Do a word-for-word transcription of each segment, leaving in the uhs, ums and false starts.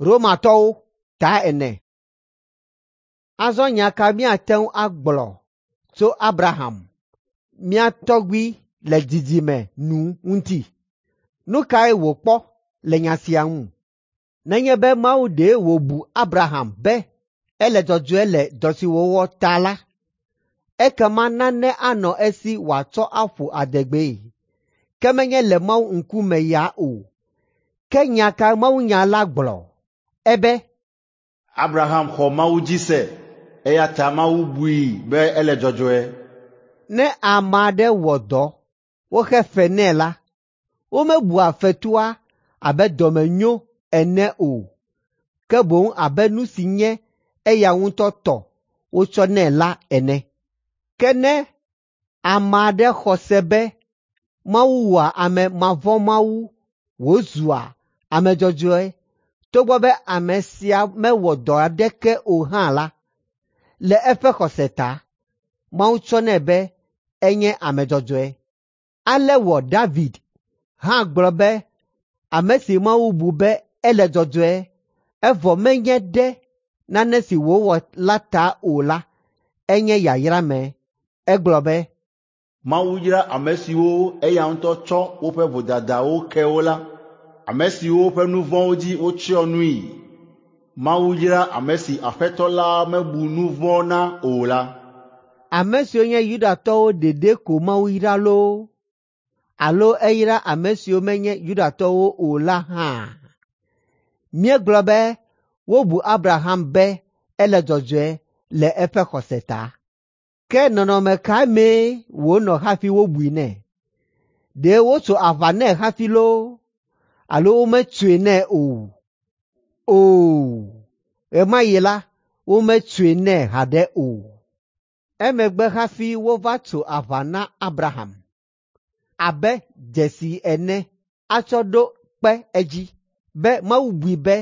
Romatɔwo ta ene. Azɔ nya ka míate ŋu agblɔ tso Abraham, mía tɔgbui le dzidzime nu ŋuti? Nu kae wòkpɔ le nya sia ŋu? Nenye be Mawu ɖe wòbu Abraham be ele dzɔdzɔe le dɔ si wòwɔ ta la, ekema nane anɔ esi wòatsɔ aƒo adegbee, ke menye le Mawu ŋkume ya o. Ke nya ka mawunya la gblɔ? Ebe, Abraham xɔ Mawu dzi se eya ta Mawu bui be ele dzɔdzɔe. Ne ame aɖe wɔ dɔ woxe fe nɛ la, womebua fetua abe dɔmenyo ene o, ke boŋ abe nu si nye eya ŋutɔ tɔ wotsɔ nɛ la ene. Ke ne ame aɖe xɔ se be Mawu wɔa ame mavɔ̃mawu wòzua ame dzɔdzɔe togbɔ be ame sia mewɔ dɔ aɖeke o hã la, le eƒe xɔse ta, Mawu tsɔnɛ be enye ame dzɔdzɔe. Ale wɔ David hã gblɔ be ame si Mawu bu be ele dzɔdzɔe evɔ menye ɖe nane si wòwɔ la ta o la, enye yayrame. Egblɔ be, Mawu yra ame siwo eya ŋutɔ tsɔ woƒe vodadawo ke wo la, ame siwo ƒe nu vɔ̃wo dzi wotsyɔ nui. Mawu yra ame si Aƒetɔ la mebu nu vɔ̃ na o la. Ame siwo nye Yudatɔwo ɖeɖe ko Mawu yra loo, alo eyra ame siwo menye Yudatɔwo o la hã? Míegblɔ be wobu Abraham be ele dzɔdzɔe le eƒe xɔse ta. Ke nɔnɔme ka mee wònɔ hafi wobui nɛ? Ɖe wotso aʋa nɛ hafi loo, alo wometsoe nɛ o? Oo, ɣe ma ɣi la, wometsoe nɛ haɖe o. Emegbe hafi wova tso aʋa na Abraham abe dzesi ene atsɔ ɖo kpe edzi be Mawu bui be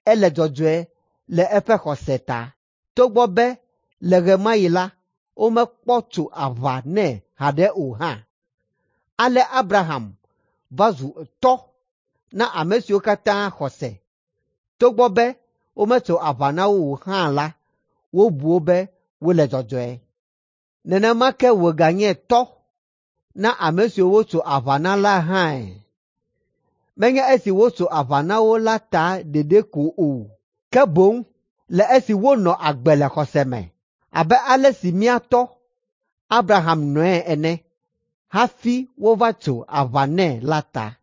ele dzɔdzɔe le eƒe xɔse ta, togbɔ be le ɣe ma ɣi la, womekpɔ tso aʋa nɛ haɖe o hã. Ale Abraham va zu tɔ na ame siwo katã xɔ se, togbɔ be wometso aʋa na wo o hã la, wobu wo be wole dzɔdzɔe. Nenema ke wòganye tɔ na ame siwo wotso aʋa na la hãe. Menye esi wotso aʋa na wo la ta ɖeɖe ko o, ke boŋ le esi wonɔ agbe le xɔse me abe ale si mía tɔ Abraham nɔe ene hafi wova tso aʋa nɛ la ta.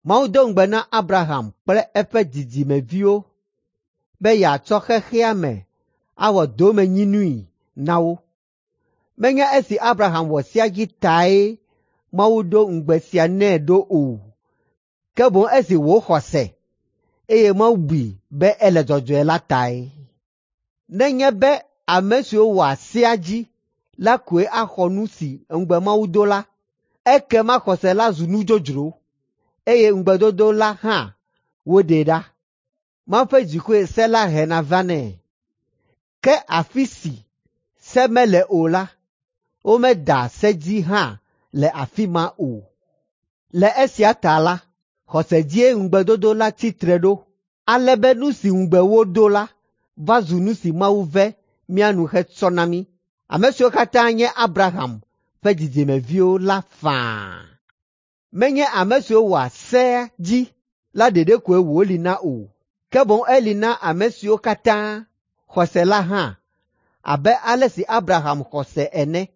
Mawu do ŋugbe na Abraham kple eƒe dzidzimeviwo be yeatsɔ xexea me awɔ domenyinui na wo. Menye esi Abraham wɔ sea dzi tae Mawu ɖo ŋugbe sia nɛ ɖo o, ke boŋ esi wòxɔ se, eye Mawu bui be ele dzɔdzɔe la tae. Nenye be ame siwo wɔa sea dzi la koe axɔ nu si ŋugbe Mawu do la, ekema xɔse la zu nu dzodzro, eye ŋugbedodo la hã woɖee ɖa. Mawu ƒe dzikue se la hena vanɛ. Ke afi si se mele o la, womeda se dzi hã le afi ma o. Le esia ta la, xɔse dzie ŋugbedodo la tsi tre ɖo, ale be nu si ŋugbe wodo la va zu nu si Mawu ve mía nu hetsɔ na mí, ame siwo katã nye Abraham ƒe dzidzimeviwo la faa. Menye ame siwo wɔa sea dzi la ɖeɖe koe wòli na o, ke boŋ eli na ame siwo katã xɔ se la hã abe ale si Abraham xɔ se ene.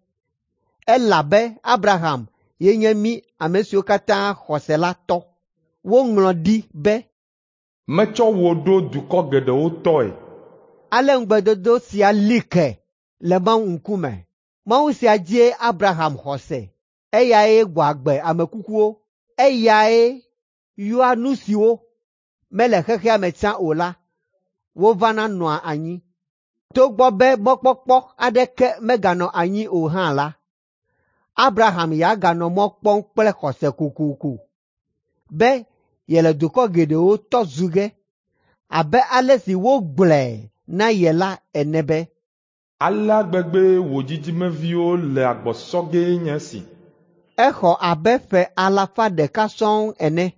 Elabe Abraham ye nye mí ame siwo katã xɔ se la tɔ. Woŋlɔ ɖi be, Metsɔ wò ɖo dukɔ geɖewo tɔe. Ale ŋugbedodo sia li ke le Mawu ŋkume. Mawu sia dzie Abraham xɔ se, eyae gbɔ agbe ame kukuwo, eyae yɔa nu siwo mele xexea me tsã o la, wovana nɔa anyi. Togbɔ be mɔkpɔkpɔ aɖeke meganɔ anyi o hã la, Abraham ya ganɔ mɔ kpɔm kple xɔse kokoko be yele dukɔ geɖewo tɔ zu ge abe ale si wogblɔe na ye la ene be, Alea gbegbee wò dzidzimeviwo le agbɔ sɔ gee nye esi. Exɔ abe ƒe alafa ɖeka sɔŋ ene.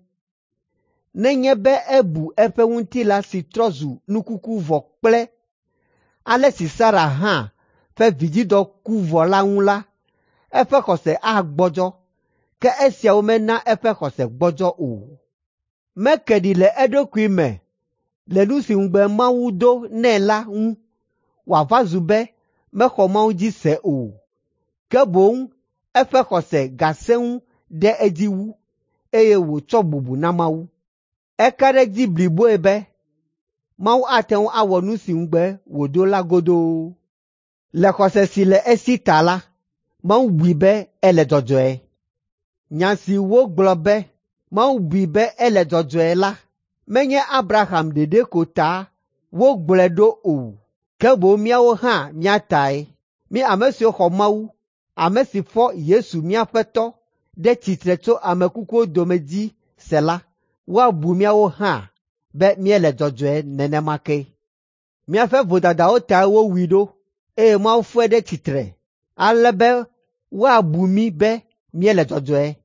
Nenye be ebu eƒe ŋutilã si trɔ zu nu kuku vɔ kple ale si Sara hã ƒe vidzidɔ ku vɔ la ŋu la, eƒe xɔse agbɔdzɔ, ke esiawo mena eƒe xɔse gbɔdzɔ o. Meke ɖi le eɖokui me le nu si ŋugbe Mawu do nɛ la ŋu wòava zu be mexɔ Mawu dzi se o, ke boŋ eƒe xɔse gasẽ ŋu ɖe edzi wu, eye wòtsɔ bubu na Mawu. Eka ɖe edzi bliboe be Mawu ate ŋu awɔ nu si ŋugbe wòdo la godoo. Le xɔse si le esi ta la, Mawu bui be ele dzɔdzɔe. Nya si wogblɔ be Mawu bui be ele dzɔdzɔe la menye Abraham ɖeɖe ko ta wogblɔe ɖo o, ke boŋ míawo hã mía tae. Mí ame siwo xɔ Mawu, ame si fɔ Yesu mía Aƒetɔ ɖe tsitre tso ame kukuwo dome dzi se la, woabu míawo hã be míele dzɔdzɔe nenema ke. Míaƒe vodadawo tae wowui ɖo, eye Mawu fɔe ɖe tsitre ale be woabu mí be míele dzɔdzɔe.